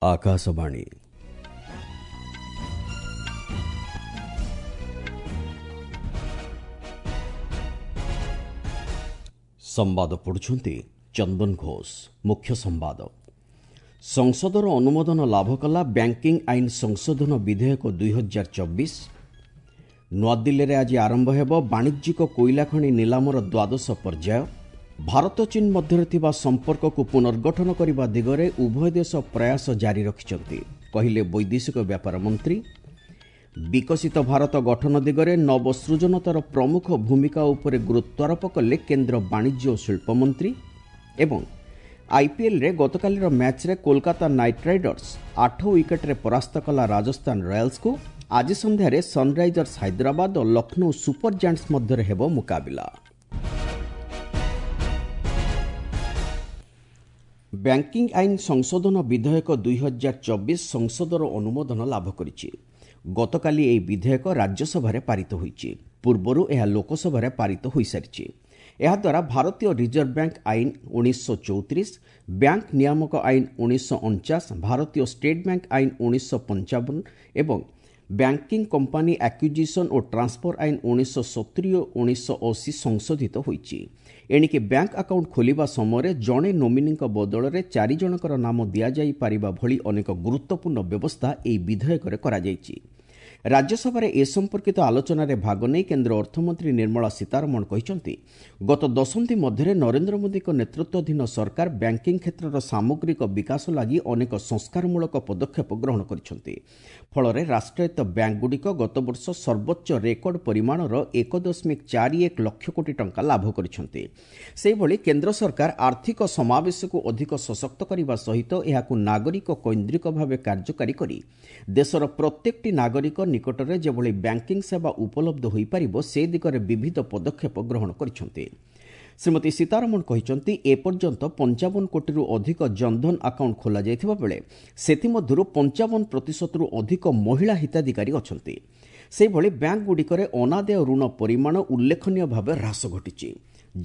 ଆକାଶବାଣୀ। ସମ୍ବାଦ ପଢ଼ୁଛନ୍ତି ଚନ୍ଦନ ଘୋଷ। ମୁଖ୍ୟ ସମ୍ବାଦ। ସଂସଦର ଅନୁମୋଦନ ଲାଭ କଲା ବ୍ୟାଙ୍କିଂ ଆଇନ ସଂଶୋଧନ ବିଧେୟକ 2024। ନୂଆଦିଲ୍ଲୀରେ ଆଜି ଆରମ୍ଭ ହେବ ବାଣିଜ୍ୟିକ କୋଇଲା ଖଣି ନିଲାମର ଦ୍ୱାଦଶ ପର୍ଯ୍ୟାୟ। ଭାରତ ଚୀନ ମଧ୍ୟରେ ଥିବା ସମ୍ପର୍କକୁ ପୁନର୍ଗଠନ କରିବା ଦିଗରେ ଉଭୟ ଦେଶ ପ୍ରୟାସ ଜାରି ରଖିଛନ୍ତି, କହିଲେ ବୈଦେଶିକ ବ୍ୟାପାର ମନ୍ତ୍ରୀ। ବିକଶିତ ଭାରତ ଗଠନ ଦିଗରେ ନବସୃଜନତାର ପ୍ରମୁଖ ଭୂମିକା ଉପରେ ଗୁରୁତ୍ୱାରୋପ କଲେ କେନ୍ଦ୍ର ବାଣିଜ୍ୟ ଓ ଶିଳ୍ପ ମନ୍ତ୍ରୀ। ଏବଂ ଆଇପିଏଲ୍ରେ ଗତକାଲିର ମ୍ୟାଚ୍ରେ କୋଲକାତା ନାଇଟ୍ ରାଇଡର୍ସ 8 ୱିକେଟ୍ରେ ପରାସ୍ତ କଲା ରାଜସ୍ଥାନ ରୟାଲ୍ସକୁ। ଆଜି ସନ୍ଧ୍ୟାରେ ସନ୍ରାଇଜର୍ସ ହାଇଦ୍ରାବାଦ ଓ ଲକ୍ଷ୍ନୌ ସୁପର ଜାଏଣ୍ଟସ୍ ମଧ୍ୟରେ ହେବ ମୁକାବିଲା। ବ୍ୟାଙ୍କିଂ ଆଇନ ସଂଶୋଧନ ବିଧେୟକ 2024 ସଂସଦର ଅନୁମୋଦନ ଲାଭ କରିଛି। ଗତକାଲି ଏହି ବିଧେୟକ ରାଜ୍ୟସଭାରେ ପାରିତ ହୋଇଛି। ପୂର୍ବରୁ ଏହା ଲୋକସଭାରେ ପାରିତ ହୋଇସାରିଛି। ଏହାଦ୍ୱାରା ଭାରତୀୟ ରିଜର୍ଭ ବ୍ୟାଙ୍କ ଆଇନ 1934, ବ୍ୟାଙ୍କ ନିୟାମକ ଆଇନ 1949, ଭାରତୀୟ ଷ୍ଟେଟ୍ ବ୍ୟାଙ୍କ ଆଇନ 1955 ଏବଂ ବ୍ୟାଙ୍କିଂ କମ୍ପାନୀ ଆକ୍ୟୁଜିସନ୍ ଓ ଟ୍ରାନ୍ସଫର ଆଇନ 1970 ଓ 1980 ସଂଶୋଧିତ ହୋଇଛି। ଏଣିକି ବ୍ୟାଙ୍କ ଆକାଉଣ୍ଟ ଖୋଲିବା ସମୟରେ ଜଣେ ନୋମିନିଙ୍କ ବଦଳରେ 4 ଜଣଙ୍କର ନାମ ଦିଆଯାଇପାରିବା ଭଳି ଅନେକ ଗୁରୁତ୍ୱପୂର୍ଣ୍ଣ ବ୍ୟବସ୍ଥା ଏହି ବିଧେୟକରେ କରାଯାଇଛି। ରାଜ୍ୟସଭାରେ ଏ ସମ୍ପର୍କିତ ଆଲୋଚନାରେ ଭାଗ ନେଇ କେନ୍ଦ୍ର ଅର୍ଥମନ୍ତ୍ରୀ ନିର୍ମଳା ସୀତାରମଣ କହିଛନ୍ତି, ଗତ ଦଶନ୍ଧି ମଧ୍ୟରେ ନରେନ୍ଦ୍ର ମୋଦିଙ୍କ ନେତୃତ୍ୱାଧୀନ ସରକାର ବ୍ୟାଙ୍କିଂ କ୍ଷେତ୍ରର ସାମଗ୍ରିକ ବିକାଶ ଲାଗି ଅନେକ ସଂସ୍କାରମୂଳକ ପଦକ୍ଷେପ ଗ୍ରହଣ କରିଛନ୍ତି। ଫଳରେ ରାଷ୍ଟ୍ରାୟତ୍ତ ବ୍ୟାଙ୍କଗୁଡ଼ିକ ଗତବର୍ଷ ସର୍ବୋଚ୍ଚ ରେକର୍ଡ ପରିମାଣର 1.41 ଲକ୍ଷ କୋଟି ଟଙ୍କା ଲାଭ କରିଛନ୍ତି। ସେହିଭଳି କେନ୍ଦ୍ର ସରକାର ଆର୍ଥିକ ସମାବେଶକୁ ଅଧିକ ସଶକ୍ତ କରିବା ସହିତ ଏହାକୁ ନାଗରିକ କୈନ୍ଦ୍ରିକ ଭାବେ କାର୍ଯ୍ୟକାରୀ କରି ଦେଶର ପ୍ରତ୍ୟେକଟି ନାଗରିକ ନିକଟରେ ଯେଭଳି ବ୍ୟାଙ୍କିଂ ସେବା ଉପଲବ୍ଧ ହୋଇପାରିବ ସେ ଦିଗରେ ବିବିଧ ପଦକ୍ଷେପ ଗ୍ରହଣ କରିଛନ୍ତି। ଶ୍ରୀମତୀ ସୀତାରମଣ କହିଛନ୍ତି, ଏପର୍ଯ୍ୟନ୍ତ 55 କୋଟିରୁ ଅଧିକ ଜନଧନ ଆକାଉଣ୍ଟ ଖୋଲାଯାଇଥିବା ବେଳେ ସେଥିମଧ୍ୟରୁ 55%ରୁ ଅଧିକ ମହିଳା ହିତାଧିକାରୀ ଅଛନ୍ତି। ସେହିଭଳି ବ୍ୟାଙ୍କଗୁଡ଼ିକରେ ଅନାଦେୟ ଋଣ ପରିମାଣ ଉଲ୍ଲେଖନୀୟ ଭାବେ ହ୍ରାସ ଘଟିଛି।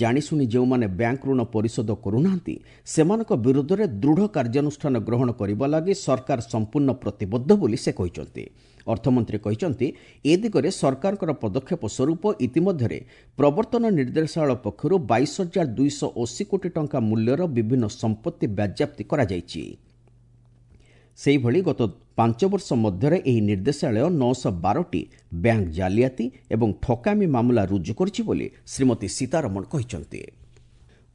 ଜାଣିଶୁଣି ଯେଉଁମାନେ ବ୍ୟାଙ୍କ ଋଣ ପରିଶୋଧ କରୁନାହାନ୍ତି ସେମାନଙ୍କ ବିରୁଦ୍ଧରେ ଦୃଢ଼ କାର୍ଯ୍ୟାନୁଷ୍ଠାନ ଗ୍ରହଣ କରିବା ଲାଗି ସରକାର ସମ୍ପୂର୍ଣ୍ଣ ପ୍ରତିବଦ୍ଧ ବୋଲି ସେ କହିଛନ୍ତି। ଅର୍ଥମନ୍ତ୍ରୀ କହିଛନ୍ତି, ଏ ଦିଗରେ ସରକାରଙ୍କର ପଦକ୍ଷେପ ସ୍ୱରୂପ ଇତିମଧ୍ୟରେ ପ୍ରବର୍ତ୍ତନ ନିର୍ଦ୍ଦେଶାଳୟ ପକ୍ଷରୁ 22,280 କୋଟି ଟଙ୍କା ମୂଲ୍ୟର ବିଭିନ୍ନ ସମ୍ପତ୍ତି ବାଜ୍ୟାପ୍ତି କରାଯାଇଛି। ସେହିଭଳି ଗତ 5 ବର୍ଷ ମଧ୍ୟରେ ଏହି ନିର୍ଦ୍ଦେଶାଳୟ 912ଟି ବ୍ୟାଙ୍କ ଜାଲିଆତି ଏବଂ ଠକାମି ମାମଲା ରୁଜୁ କରିଛି ବୋଲି ଶ୍ରୀମତୀ ସୀତାରମଣ କହିଛନ୍ତି।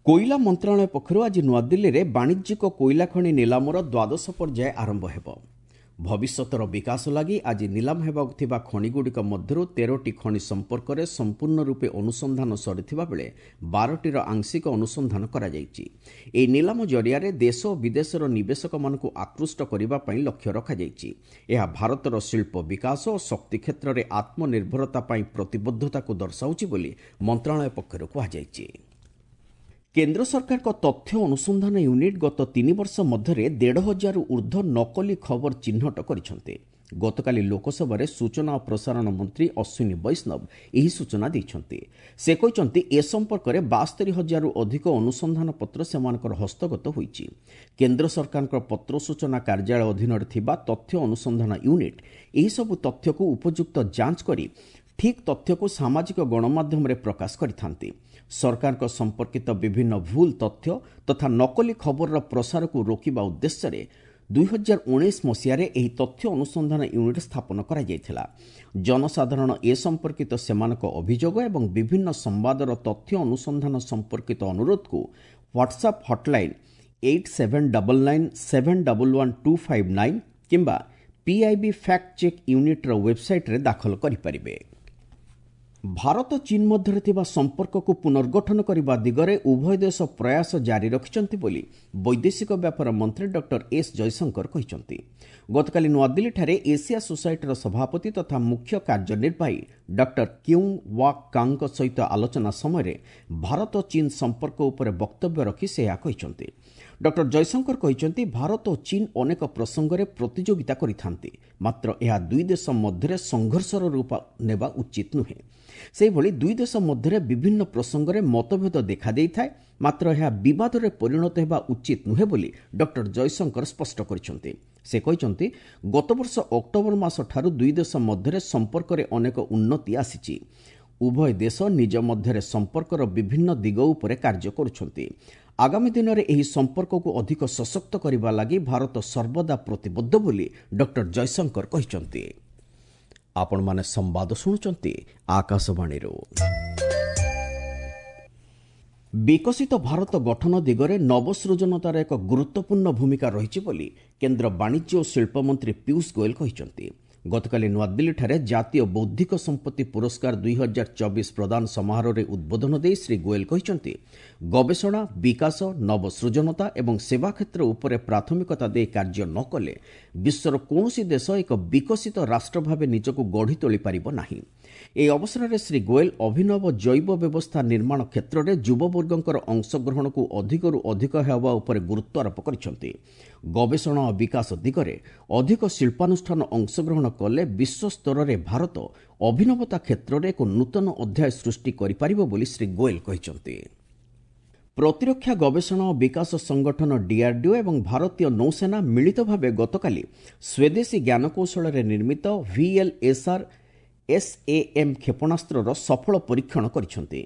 କୋଇଲା ମନ୍ତ୍ରଣାଳୟ ପକ୍ଷରୁ ଆଜି ନୂଆଦିଲ୍ଲୀରେ ବାଣିଜ୍ୟିକ କୋଇଲା ଖଣି ନିଲାମର ଦ୍ୱାଦଶ ପର୍ଯ୍ୟାୟ ଆରମ୍ଭ ହେବ। ଭବିଷ୍ୟତର ବିକାଶ ଲାଗି ଆଜି ନିଲାମ ହେବାକୁ ଥିବା ଖଣିଗୁଡ଼ିକ ମଧ୍ୟରୁ 13ଟି ଖଣି ସମ୍ପର୍କରେ ସମ୍ପୂର୍ଣ୍ଣ ରୂପେ ଅନୁସନ୍ଧାନ ସରିଥିବା ବେଳେ 12ଟିର ଆଂଶିକ ଅନୁସନ୍ଧାନ କରାଯାଇଛି। ଏହି ନିଲାମ ଜରିଆରେ ଦେଶ ଓ ବିଦେଶର ନିବେଶକମାନଙ୍କୁ ଆକୃଷ୍ଟ କରିବା ପାଇଁ ଲକ୍ଷ୍ୟ ରଖାଯାଇଛି। ଏହା ଭାରତର ଶିଳ୍ପ ବିକାଶ ଓ ଶକ୍ତି କ୍ଷେତ୍ରରେ ଆତ୍ମନିର୍ଭରତା ପାଇଁ ପ୍ରତିବଦ୍ଧତାକୁ ଦର୍ଶାଉଛି ବୋଲି ମନ୍ତ୍ରଣାଳୟ ପକ୍ଷରୁ କୁହାଯାଇଛି। କେନ୍ଦ୍ର ସରକାରଙ୍କ ତଥ୍ୟ ଅନୁସନ୍ଧାନ ୟୁନିଟ୍ ଗତ 3 ବର୍ଷ ମଧ୍ୟରେ 1,500ରୁ ଉର୍ଦ୍ଧ୍ୱ ନକଲି ଖବର ଚିହ୍ନଟ କରିଛନ୍ତି। ଗତକାଲି ଲୋକସଭାରେ ସୂଚନା ଓ ପ୍ରସାରଣ ମନ୍ତ୍ରୀ ଅଶ୍ୱିନୀ ବୈଷ୍ଣବ ଏହି ସୂଚନା ଦେଇଛନ୍ତି। ସେ କହିଛନ୍ତି, ଏ ସମ୍ପର୍କରେ 72,000ରୁ ଅଧିକ ଅନୁସନ୍ଧାନ ପତ୍ର ସେମାନଙ୍କର ହସ୍ତଗତ ହୋଇଛି। କେନ୍ଦ୍ର ସରକାରଙ୍କ ପତ୍ର ସୂଚନା କାର୍ଯ୍ୟାଳୟ ଅଧୀନରେ ଥିବା ତଥ୍ୟ ଅନୁସନ୍ଧାନ ୟୁନିଟ୍ ଏହିସବୁ ତଥ୍ୟକୁ ଉପଯୁକ୍ତ ଯାଞ୍ଚ କରି ଠିକ୍ ତଥ୍ୟକୁ ସାମାଜିକ ଗଣମାଧ୍ୟମରେ ପ୍ରକାଶ କରିଥାନ୍ତି। ସରକାରଙ୍କ ସମ୍ପର୍କିତ ବିଭିନ୍ନ ଭୁଲ ତଥ୍ୟ ତଥା ନକଲି ଖବରର ପ୍ରସାରକୁ ରୋକିବା ଉଦ୍ଦେଶ୍ୟରେ 2019 ମସିହାରେ ଏହି ତଥ୍ୟ ଅନୁସନ୍ଧାନ ୟୁନିଟ୍ ସ୍ଥାପନ କରାଯାଇଥିଲା। ଜନସାଧାରଣ ଏ ସମ୍ପର୍କିତ ସେମାନଙ୍କ ଅଭିଯୋଗ ଏବଂ ବିଭିନ୍ନ ସମ୍ବାଦର ତଥ୍ୟ ଅନୁସନ୍ଧାନ ସମ୍ପର୍କିତ ଅନୁରୋଧକୁ ହ୍ୱାଟ୍ସଆପ୍ ହଟ୍ଲାଇନ୍ 8799711259 କିମ୍ବା ପିଆଇବି ଫ୍ୟାକ୍ଟ ଚେକ୍ ୟୁନିଟ୍ର ୱେବ୍ସାଇଟ୍ରେ ଦାଖଲ କରିପାରିବେ। ଭାରତ ଚୀନ ମଧ୍ୟରେ ଥିବା ସମ୍ପର୍କକୁ ପୁନର୍ଗଠନ କରିବା ଦିଗରେ ଉଭୟ ଦେଶ ପ୍ରୟାସ ଜାରି ରଖିଛନ୍ତି ବୋଲି ବୈଦେଶିକ ବ୍ୟାପାର ମନ୍ତ୍ରୀ ଡକ୍ଟର ଏସ୍ ଜୟଶଙ୍କର କହିଛନ୍ତି। ଗତକାଲି ନୂଆଦିଲ୍ଲୀଠାରେ ଏସିଆ ସୋସାଇଟିର ସଭାପତି ତଥା ମୁଖ୍ୟ କାର୍ଯ୍ୟନିର୍ବାହୀ ଡକ୍ଟର କ୍ୟୁଙ୍ଗ ୱାକ୍ କାଙ୍ଗଙ୍କ ସହିତ ଆଲୋଚନା ସମୟରେ ଭାରତ ଚୀନ ସମ୍ପର୍କ ଉପରେ ବକ୍ତବ୍ୟ ରଖି ସେ ଏହା କହିଛନ୍ତି। ଡକ୍ଟର ଜୟଶଙ୍କର କହିଛନ୍ତି, ଭାରତ ଓ ଚୀନ ଅନେକ ପ୍ରସଙ୍ଗରେ ପ୍ରତିଯୋଗିତା କରିଥାନ୍ତି, ମାତ୍ର ଏହା ଦୁଇ ଦେଶ ମଧ୍ୟରେ ସଂଘର୍ଷର ରୂପ ନେବା ଉଚିତ ନୁହେଁ। ସେହିଭଳି ଦୁଇ ଦେଶ ମଧ୍ୟରେ ବିଭିନ୍ନ ପ୍ରସଙ୍ଗରେ ମତଭେଦ ଦେଖାଦେଇଥାଏ, ମାତ୍ର ଏହା ବିବାଦରେ ପରିଣତ ହେବା ଉଚିତ ନୁହେଁ ବୋଲି ଡକ୍ଟର ଜୟଶଙ୍କର ସ୍ପଷ୍ଟ କରିଛନ୍ତି। ସେ କହିଛନ୍ତି, ଗତବର୍ଷ ଅକ୍ଟୋବର ମାସଠାରୁ ଦୁଇ ଦେଶ ମଧ୍ୟରେ ସମ୍ପର୍କରେ ଅନେକ ଉନ୍ନତି ଆସିଛି। ଉଭୟ ଦେଶ ନିଜ ମଧ୍ୟରେ ସମ୍ପର୍କର ବିଭିନ୍ନ ଦିଗ ଉପରେ କାର୍ଯ୍ୟ କରୁଛନ୍ତି। ଆଗାମୀ ଦିନରେ ଏହି ସମ୍ପର୍କକୁ ଅଧିକ ସଶକ୍ତ କରିବା ଲାଗି ଭାରତ ସର୍ବଦା ପ୍ରତିବଦ୍ଧ ବୋଲି ଡକ୍ଟର ଜୟଶଙ୍କର କହିଛନ୍ତି। ଆପଣମାନେ ସମ୍ବାଦ ଶୁଣୁଛନ୍ତି ଆକାଶବାଣୀରୁ। ବିକଶିତ ଭାରତ ଗଠନ ଦିଗରେ ନବସୃଜନତାର ଏକ ଗୁରୁତ୍ୱପୂର୍ଣ୍ଣ ଭୂମିକା ରହିଛି ବୋଲି କେନ୍ଦ୍ର ବାଣିଜ୍ୟ ଓ ଶିଳ୍ପମନ୍ତ୍ରୀ ପୀୟୁଷ ଗୋଏଲ କହିଛନ୍ତି। ଗତକାଲି ନୂଆଦିଲ୍ଲୀଠାରେ ଜାତୀୟ ବୌଦ୍ଧିକ ସମ୍ପତ୍ତି ପୁରସ୍କାର 2024 ପ୍ରଦାନ ସମାରୋହରେ ଉଦ୍ବୋଧନ ଦେଇ ଶ୍ରୀ ଗୋଏଲ କହିଛନ୍ତି, ଗବେଷଣା, ବିକାଶ, ନବସୃଜନତା ଏବଂ ସେବା କ୍ଷେତ୍ର ଉପରେ ପ୍ରାଥମିକତା ଦେଇ କାର୍ଯ୍ୟ ନ କଲେ ବିଶ୍ୱର କୌଣସି ଦେଶ ଏକ ବିକଶିତ ରାଷ୍ଟ୍ର ଭାବେ ନିଜକୁ ଗଢ଼ି ତୋଳିପାରିବ ନାହିଁ। ଏହି ଅବସରରେ ଶ୍ରୀ ଗୋଏଲ ଅଭିନବ ଜୈବ ବ୍ୟବସ୍ଥା ନିର୍ମାଣ କ୍ଷେତ୍ରରେ ଯୁବବର୍ଗଙ୍କର ଅଂଶଗ୍ରହଣକୁ ଅଧିକରୁ ଅଧିକ ହେବା ଉପରେ ଗୁରୁତ୍ୱାରୋପ କରିଛନ୍ତି। ଗବେଷଣା ଓ ବିକାଶ ଦିଗରେ ଅଧିକ ଶିଳ୍ପାନୁଷ୍ଠାନ ଅଂଶଗ୍ରହଣ କଲେ ବିଶ୍ୱସ୍ତରରେ ଭାରତ ଅଭିନବତା କ୍ଷେତ୍ରରେ ଏକ ନୂତନ ଅଧ୍ୟାୟ ସୃଷ୍ଟି କରିପାରିବ ବୋଲି ଶ୍ରୀ ଗୋଏଲ କହିଛନ୍ତି। ପ୍ରତିରକ୍ଷା ଗବେଷଣା ଓ ବିକାଶ ସଂଗଠନ ଡିଆର୍ଡିଓ ଏବଂ ଭାରତୀୟ ନୌସେନା ମିଳିତ ଭାବେ ଗତକାଲି ସ୍ୱଦେଶୀ ଜ୍ଞାନକୌଶଳରେ ନିର୍ମିତ ଭିଏଲ୍ଏସ୍ଆର୍ ଏସ୍ଏଏମ୍ କ୍ଷେପଣାସ୍ତ୍ରର ସଫଳ ପରୀକ୍ଷଣ କରିଛନ୍ତି।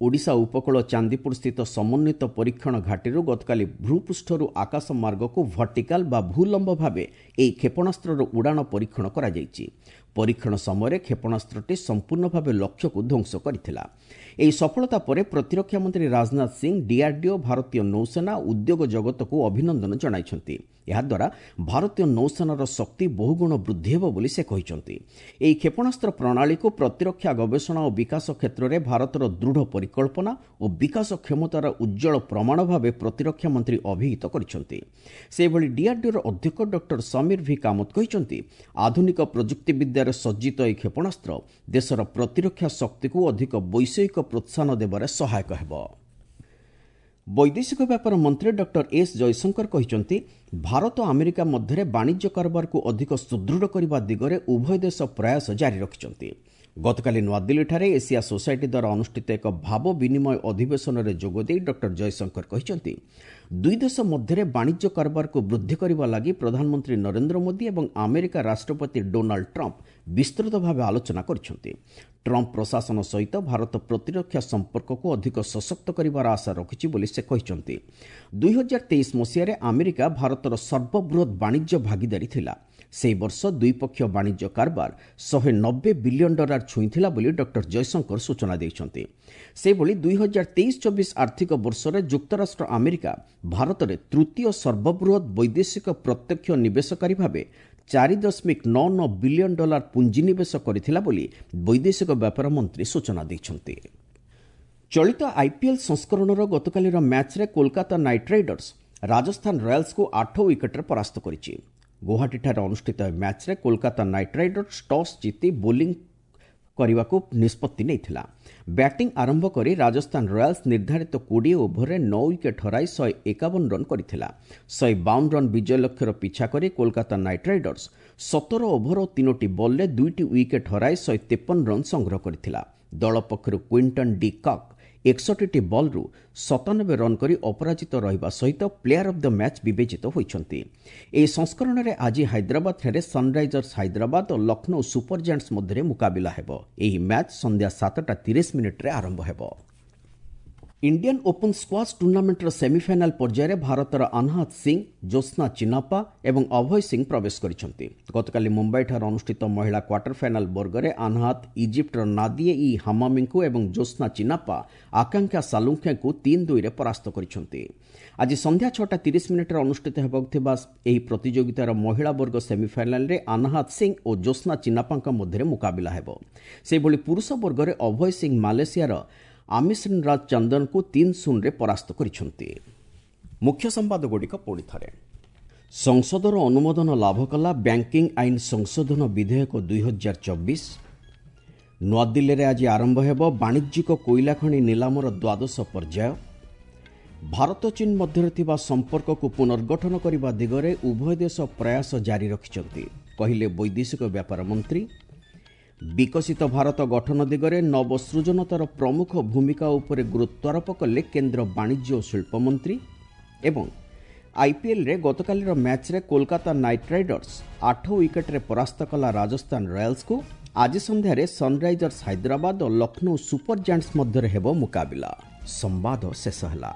ଓଡ଼ିଶା ଉପକୂଳ ଚାନ୍ଦିପୁର ସ୍ଥିତ ସମନ୍ୱିତ ପରୀକ୍ଷଣ ଘାଟିରୁ ଗତକାଲି ଭୂପୃଷ୍ଠରୁ ଆକାଶ ମାର୍ଗକୁ ଭର୍ଟିକାଲ ବା ଭୂଲମ୍ବ ଭାବେ ଏହି କ୍ଷେପଣାସ୍ତ୍ରର ଉଡ଼ାଣ ପରୀକ୍ଷଣ କରାଯାଇଛି। ପରୀକ୍ଷଣ ସମୟରେ କ୍ଷେପଣାସ୍ତ୍ରଟି ସମ୍ପୂର୍ଣ୍ଣ ଭାବେ ଲକ୍ଷ୍ୟକୁ ଧ୍ୱଂସ କରିଥିଲା। ଏହି ସଫଳତା ପରେ ପ୍ରତିରକ୍ଷା ମନ୍ତ୍ରୀ ରାଜନାଥ ସିଂ ଡିଆର୍ଡିଓ, ଭାରତୀୟ ନୌସେନା, ଉଦ୍ୟୋଗ ଜଗତକୁ ଅଭିନନ୍ଦନ ଜଣାଇଛନ୍ତି। ଏହାଦ୍ୱାରା ଭାରତୀୟ ନୌସେନାର ଶକ୍ତି ବହୁଗୁଣ ବୃଦ୍ଧି ହେବ ବୋଲି ସେ କହିଛନ୍ତି। ଏହି କ୍ଷେପଣାସ୍ତ୍ର ପ୍ରଣାଳୀକୁ ପ୍ରତିରକ୍ଷା ଗବେଷଣା ଓ ବିକାଶ କ୍ଷେତ୍ରରେ ଭାରତର ଦୃଢ଼ ପରିକଳ୍ପନା ଓ ବିକାଶ କ୍ଷମତାର ଉଜ୍ଜ୍ୱଳ ପ୍ରମାଣ ଭାବେ ପ୍ରତିରକ୍ଷା ମନ୍ତ୍ରୀ ଅଭିହିତ କରିଛନ୍ତି। ସେହିଭଳି ଡିଆର୍ଡିଓର ଅଧ୍ୟକ୍ଷ ଡକ୍ଟର ସମୀର ଭି କାମତ କହିଛନ୍ତି, ଆଧୁନିକ ପ୍ରଯୁକ୍ତିବିଦ୍ୟାରେ ସଜ୍ଜିତ ଏହି କ୍ଷେପଣାସ୍ତ୍ର ଦେଶର ପ୍ରତିରକ୍ଷା ଶକ୍ତିକୁ ଅଧିକ ବୈଷୟିକ ପ୍ରୋତ୍ସାହନ ଦେବାରେ ସହାୟକ ହେବ। ବୈଦେଶିକ ବ୍ୟାପାର ମନ୍ତ୍ରୀ ଡକ୍ଟର ଏସ୍ ଜୟଶଙ୍କର କହିଛନ୍ତି, ଭାରତ ଆମେରିକା ମଧ୍ୟରେ ବାଣିଜ୍ୟ କାରବାରକୁ ଅଧିକ ସୁଦୃଢ଼ କରିବା ଦିଗରେ ଉଭୟ ଦେଶ ପ୍ରୟାସ ଜାରି ରଖିଛନ୍ତି। ଗତକାଲି ନୂଆଦିଲ୍ଲୀଠାରେ ଏସିଆ ସୋସାଇଟି ଦ୍ୱାରା ଅନୁଷ୍ଠିତ ଏକ ଭାବ ବିନିମୟ ଅଧିବେଶନରେ ଯୋଗଦେଇ ଡକ୍ଟର ଜୟଶଙ୍କର କହିଛନ୍ତି, ଦୁଇ ଦେଶ ମଧ୍ୟରେ ବାଣିଜ୍ୟ କାରବାରକୁ ବୃଦ୍ଧି କରିବା ଲାଗି ପ୍ରଧାନମନ୍ତ୍ରୀ ନରେନ୍ଦ୍ର ମୋଦି ଏବଂ ଆମେରିକା ରାଷ୍ଟ୍ରପତି ଡୋନାଲ୍ଡ ଟ୍ରମ୍ପ ବିସ୍ତୃତ ଭାବେ ଆଲୋଚନା କରିଛନ୍ତି। ଟ୍ରମ୍ପ ପ୍ରଶାସନ ସହିତ ଭାରତ ପ୍ରତିରକ୍ଷା ସମ୍ପର୍କକୁ ଅଧିକ ସଶକ୍ତ କରିବାର ଆଶା ରଖିଛି ବୋଲି ସେ କହିଛନ୍ତି। 2023 ମସିହାରେ ଆମେରିକା ଭାରତର ସର୍ବବୃହତ୍ ବାଣିଜ୍ୟ ଭାଗିଦାରୀ ଥିଲା। ସେହି ବର୍ଷ ଦ୍ୱିପକ୍ଷୀୟ ବାଣିଜ୍ୟ କାରବାର $190 ବିଲିୟନ ଛୁଇଁଥିଲା ବୋଲି ଡକ୍ଟର ଜୟଶଙ୍କର ସୂଚନା ଦେଇଛନ୍ତି। ସେହିଭଳି 2023-24 ଆର୍ଥିକ ବର୍ଷରେ ଯୁକ୍ତରାଷ୍ଟ୍ର ଆମେରିକା ଭାରତରେ ତୃତୀୟ ସର୍ବବୃହତ୍ ବୈଦେଶିକ ପ୍ରତ୍ୟକ୍ଷ ନିବେଶକାରୀ ଭାବେ $4.99 ବିଲିୟନ ପୁଞ୍ଜିନିବେଶ କରିଥିଲା ବୋଲି ବୈଦେଶିକ ବ୍ୟାପାର ମନ୍ତ୍ରୀ ସୂଚନା ଦେଇଛନ୍ତି। ଚଳିତ ଆଇପିଏଲ୍ ସଂସ୍କରଣର ଗତକାଲିର ମ୍ୟାଚ୍ରେ କୋଲକାତା ନାଇଟ୍ ରାଇଡର୍ସ ରାଜସ୍ଥାନ ରୟାଲ୍ସକୁ 8 ୱିକେଟ୍ରେ ପରାସ୍ତ କରିଛି। ଗୁଆହାଟୀଠାରେ ଅନୁଷ୍ଠିତ ମ୍ୟାଚ୍ରେ କୋଲକାତା ନାଇଟ୍ ରାଇଡର୍ସ ଟସ୍ ଜିତି ବୋଲିଂ କରିବାକୁ ନିଷ୍ପତ୍ତି ନେଇଥିଲା। ବ୍ୟାଟିଂ ଆରମ୍ଭ କରି ରାଜସ୍ଥାନ ରୟାଲ୍ସ ନିର୍ଦ୍ଧାରିତ 20 ଓଭରରେ 9 ୱିକେଟ୍ ହରାଇ 151 ରନ୍ କରିଥିଲା। 152 ରନ୍ ବିଜୟ ଲକ୍ଷ୍ୟର ପିଛା କରି କୋଲକାତା ନାଇଟ୍ ରାଇଡର୍ସ 17 ଓଭର ଓ 3ଟି ବଲ୍ରେ 2ଟି ୱିକେଟ୍ ହରାଇ 153 ରନ୍ ସଂଗ୍ରହ କରିଥିଲା। ଦଳ ପକ୍ଷରୁ କ୍ୱିଣ୍ଟନ୍ ଡି କକ୍ 61ଟି ବଲ୍ରୁ 97 ରନ୍ କରି ଅପରାଜିତ ରହିବା ସହିତ ପ୍ଲେୟାର ଅଫ୍ the match ବିବେଚିତ ହୋଇଛନ୍ତି। ଏହି ସଂସ୍କରଣରେ ଆଜି ହାଇଦ୍ରାବାଦଠାରେ ସନ୍ରାଇଜର୍ସ ହାଇଦ୍ରାବାଦ ଓ ଲକ୍ଷ୍ନୌ ସୁପର ଜାଏଣ୍ଟସ୍ ମଧ୍ୟରେ ମୁକାବିଲା ହେବ। ଏହି ମ୍ୟାଚ୍ ସନ୍ଧ୍ୟା 7:30 ଆରମ୍ଭ ହେବ। ଇଣ୍ଡିଆନ୍ ଓପନ୍ ସ୍କ୍ୱାସ୍ ଟୁର୍ଣ୍ଣାମେଣ୍ଟର ସେମିଫାଇନାଲ୍ ପର୍ଯ୍ୟାୟରେ ଭାରତର ଆନହାତ ସିଂ, ଜ୍ୟୋତ୍ସ୍ନା ଚିନାପ୍ପା ଏବଂ ଅଭୟ ସିଂ ପ୍ରବେଶ କରିଛନ୍ତି। ଗତକାଲି ମୁମ୍ବାଇଠାରେ ଅନୁଷ୍ଠିତ ମହିଳା କ୍ୱାର୍ଟର ଫାଇନାଲ୍ ବର୍ଗରେ ଆନହାତ ଇଜିପ୍ଟର ନାଦିଏ ଇ ହାମାମିଙ୍କୁ ଏବଂ ଜ୍ୟୋତ୍ସ୍ନା ଚିନାପ୍ପା ଆକାଂକ୍ଷା ସାଲୁଙ୍ଖେଙ୍କୁ 3-2ରେ ପରାସ୍ତ କରିଛନ୍ତି। ଆଜି ସନ୍ଧ୍ୟା 6:30 ଅନୁଷ୍ଠିତ ହେବାକୁ ଥିବା ଏହି ପ୍ରତିଯୋଗିତାର ମହିଳା ବର୍ଗ ସେମିଫାଇନାଲ୍ରେ ଆନହାତ ସିଂ ଓ ଜ୍ୟୋତ୍ସ୍ନା ଚିନାପ୍ପାଙ୍କ ମଧ୍ୟରେ ମୁକାବିଲା ହେବ। ସେହିଭଳି ପୁରୁଷ ବର୍ଗରେ ଅଭୟ ସିଂ ମାଲେସିଆର ଆମିଶ୍ରୀରାଜ ଚନ୍ଦନଙ୍କୁ 3-0ରେ ପରାସ୍ତ କରିଛନ୍ତି। ମୁଖ୍ୟ ସମ୍ବାଦଗୁଡ଼ିକ ପୁଣି ଥରେ। ସଂସଦର ଅନୁମୋଦନ ଲାଭ କଲା ବ୍ୟାଙ୍କିଂ ଆଇନ ସଂଶୋଧନ ବିଧେୟକ 2024। ନୂଆଦିଲ୍ଲୀରେ ଆଜି ଆରମ୍ଭ ହେବ ବାଣିଜ୍ୟିକ କୋଇଲା ଖଣି ନିଲାମର ଦ୍ୱାଦଶ ପର୍ଯ୍ୟାୟ। ଭାରତ ଚୀନ ମଧ୍ୟରେ ଥିବା ସମ୍ପର୍କକୁ ପୁନର୍ଗଠନ କରିବା ଦିଗରେ ଉଭୟ ଦେଶ ପ୍ରୟାସ ଜାରି ରଖିଛନ୍ତି, କହିଲେ ବୈଦେଶିକ ବ୍ୟାପାର ମନ୍ତ୍ରୀ। ବିକଶିତ ଭାରତ ଗଠନ ଦିଗରେ ନବସୃଜନତାର ପ୍ରମୁଖ ଭୂମିକା ଉପରେ ଗୁରୁତ୍ୱାରୋପ କଲେ କେନ୍ଦ୍ର ବାଣିଜ୍ୟ ଓ ଶିଳ୍ପମନ୍ତ୍ରୀ। ଏବଂ ଆଇପିଏଲ୍ରେ ଗତକାଲିର ମ୍ୟାଚ୍ରେ କୋଲକାତା ନାଇଟ୍ ରାଇଡର୍ସ 8 ୱିକେଟ୍ରେ ପରାସ୍ତ କଲା ରାଜସ୍ଥାନ ରୟାଲ୍ସକୁ। ଆଜି ସନ୍ଧ୍ୟାରେ ସନ୍ରାଇଜର୍ସ ହାଇଦ୍ରାବାଦ ଓ ଲକ୍ଷ୍ନୌ ସୁପର ଜାଏଣ୍ଟସ୍ ମଧ୍ୟରେ ହେବ ମୁକାବିଲା। ସମ୍ବାଦ ଶେଷ ହେଲା।